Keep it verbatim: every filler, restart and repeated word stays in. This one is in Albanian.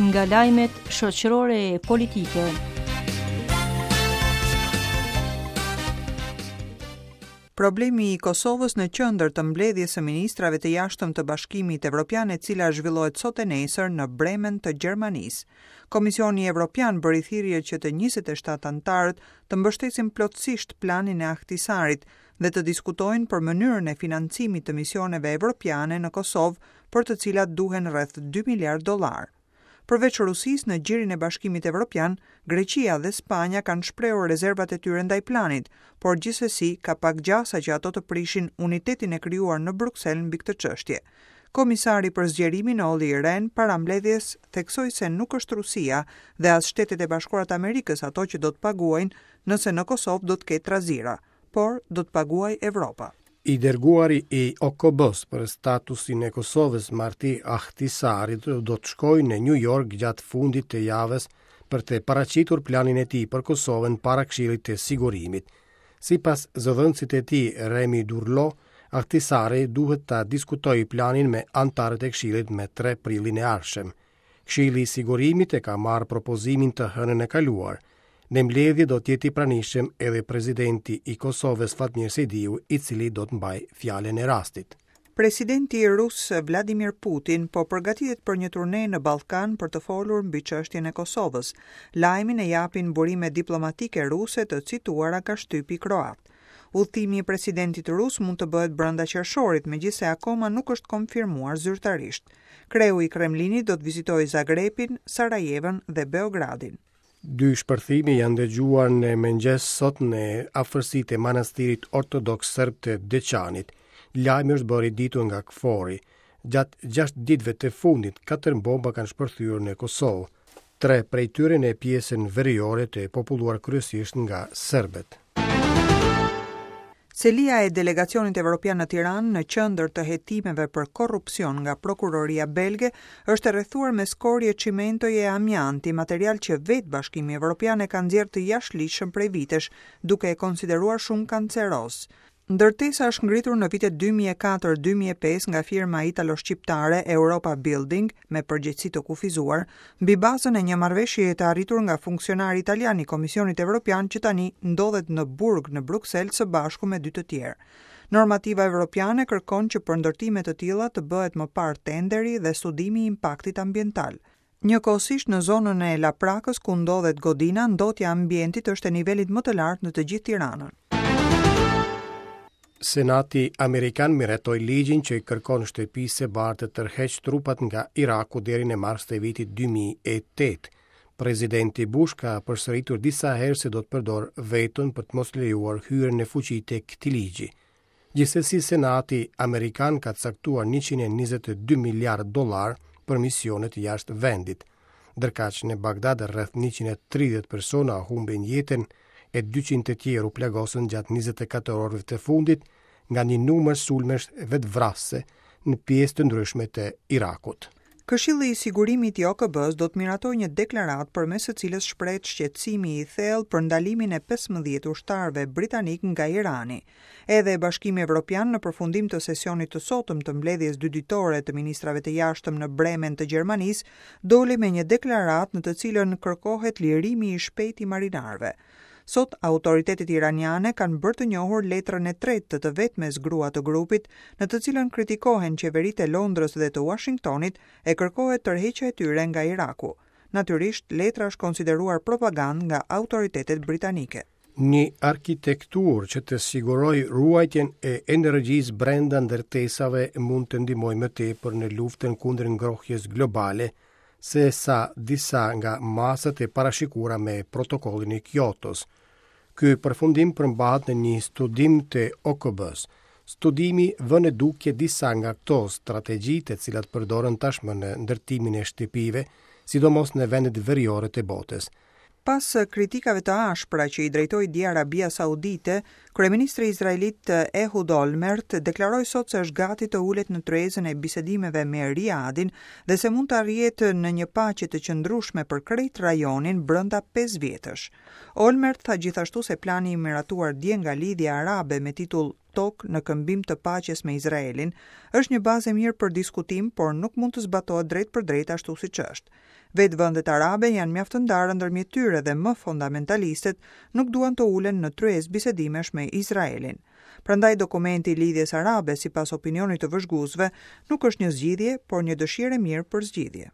Nga lajmet shoqërore e politike. Problemi i Kosovës në qendër të mbledhjes së ministrave të jashtëm të Bashkimit Evropian, e cila zhvillohet sot e nesër në Bremen të Gjermanisë. Komisioni Evropian bëri thirrje që të njëzet e shtatë anëtarët të mbështesin plotësisht planin e Ahtisarit dhe të diskutojnë për mënyrën e financimit të misioneve evropiane në Kosovë, për të cilat duhen rreth dy miliard dollar. Përveç Rusisë, në gjirin e Bashkimit Evropian, Greqia dhe Spanja kanë shprehur rezervat e tyre ndaj planit, por gjithsesi ka pak gjasa që ato të prishin unitetin e krijuar në Bruksel mbi këtë çështje. Komisari për zgjerimin Olli Rehn para mbledhjes theksoi se nuk është Rusia dhe as Shtetet e Bashkuara të Amerikës ato që do të paguajnë nëse në Kosovë do të ketë trazira, por do të paguajë Evropa. I dërguari i O K B-s për statusin e Kosovës, Martti Ahtisaari, do të shkojë në New York gjatë fundit të javës për të paraqitur planin e tij për Kosovën para Këshillit të Sigurimit. Sipas zëdhënësit e tij, Remi Durlo, Ahtisaari duhet ta diskutojë planin me anëtarët e Këshillit me tre prillin e ardhshëm. Këshilli i Sigurimit e ka marrë propozimin të hënën e kaluar. Në mbledhje do të jetë i pranishëm edhe presidenti i Kosovës Fatmir Sejdiu, i cili do të mbajë fjalën e rastit. Presidenti rus Vladimir Putin po përgatitet për një turne në Ballkan për të folur mbi çështjen e Kosovës. Lajmin e japin burime diplomatike ruse të cituara nga shtypi kroat. Udhëtimi i presidentit rus mund të bëhet brenda qershorit, megjithëse akoma nuk është konfirmuar zyrtarisht. Kreu i Kremlinit do të vizitojë Zagrebin, Sarajevën dhe Beogradin. Dy shpërthime janë dëgjuar në mëngjes sot në afërsitë e manastirit ortodoks serb të Deçanit. Lajmi është bërë i ditur nga K F O R-i. Gjatë gjashtë ditëve të fundit, katër bomba kanë shpërthyer në Kosovë, tre prej tyre në pjesën veriore të populluar kryesisht nga serbët. Selia e delegacionit evropian në Tiranë, në qendër të hetimeve për korrupsion nga prokuroria belge, është e rrethuar me skorje çimentoje e amianti, material që vetë Bashkimi Evropian e ka nxjerrë të jashtëligjshëm prej vitesh, duke e konsideruar shumë kanceroz. Ndërtesa është ngritur në vitet dy mijë e katër dy mijë e pesë nga firma italo-shqiptare Europa Building me përgjegjësi të kufizuar, mbi bazën e një marrëveshjeje të arritur nga funksionari italian i Komisionit Evropian që tani ndodhet në burg në Bruksel së bashku me dy të tjerë. Normativa evropiane kërkon që për ndërtime të tilla të bëhet më parë tenderi dhe studimi i impaktit ambiental. Njëkohësisht në zonën e Laprakës ku ndodhet godina, ndotja e ambientit është e nivelit më të lartë në të gjithë Tiranën. Senati Amerikan miratoi ligjin që i kërkon shtëpisë së bardhë të tërheqë trupat nga Iraku deri në mars të vitit dy mijë e tetë. Presidenti Bush ka përsëritur disa herë se do të përdorë veton për të mos lejuar hyrjen në fuqi të këtij ligji. Gjithsesi, Senati Amerikan ka caktuar njëqind e njëzet e dy miliard dollar për misionet jashtë vendit. Ndërkaq në Bagdad rreth njëqind e tridhjetë persona humbën jetën e dyqind të tjerë u plagosën gjatë njëzet e katër orëve të fundit nga një numër sulmesh vetvrasëse në pjesë të ndryshme të Irakut. Këshilli i Sigurimit i O K B-s do të miratojë një deklaratë përmes së cilës shprehet shqetësimi i thellë për ndalimin e pesëmbëdhjetë ushtarëve britanik nga Irani. Edhe Bashkimi Evropian në përfundim të sesionit të sotëm të mbledhjes dy ditore të ministrave të jashtëm në Bremen të Gjermanisë doli me një deklaratë në të cilën kërkohet lirimi i shpejtë i marinarëve. Sot, autoritetet iraniane kanë bërë të njohur letrën e tretë të të vetmes grua të grupit, në të cilën kritikohen qeveritë e Londrës dhe të Washingtonit e kërkohet tërheqja e tyre nga Iraku. Natyrisht, letra është konsideruar propagandë nga autoritetet britanike. Një arkitekturë që të sigurojë ruajtjen e energjisë brenda ndërtesave mund të ndihmojë më tepër në luftën kundër ngrohjes globale se sa disa nga masat e parashikuara me protokollin e Kyotos. Ky përfundim përmbahet në një studim të O K B-s. Studimi vë në dukje disa nga këto strategji të cilat përdoren tashmë në ndërtimin e shtëpive, sidomos në vendet veriore të botës. Pas kritikave të ashpra që i drejtoi dje Arabia Saudite, Kryeministri izraelit Ehud Olmert deklaroi sot se është gati të ulet në tryezën e bisedimeve me Riadin dhe se mund të arrihet në një paqe të qëndrueshme për krejt rajonin brenda pesë vjetësh. Olmert tha gjithashtu se plani i miratuar dje nga Lidhja Arabe me titull Tokë në këmbim të paqes me Izraelin është një bazë e mirë për diskutim, por nuk mund të zbatohet drejt për drejt ashtu siç është. Vetë vendet arabe janë mjaft të ndara ndërmjet tyre dhe më fundamentalistët nuk duan të ulen në tryezë bisedimesh me Izraelin. Prandaj dokumenti i Lidhjes Arabe, sipas opinionit të vëzhguesve, nuk është një zgjidhje, por një dëshirë e mirë për zgjidhje.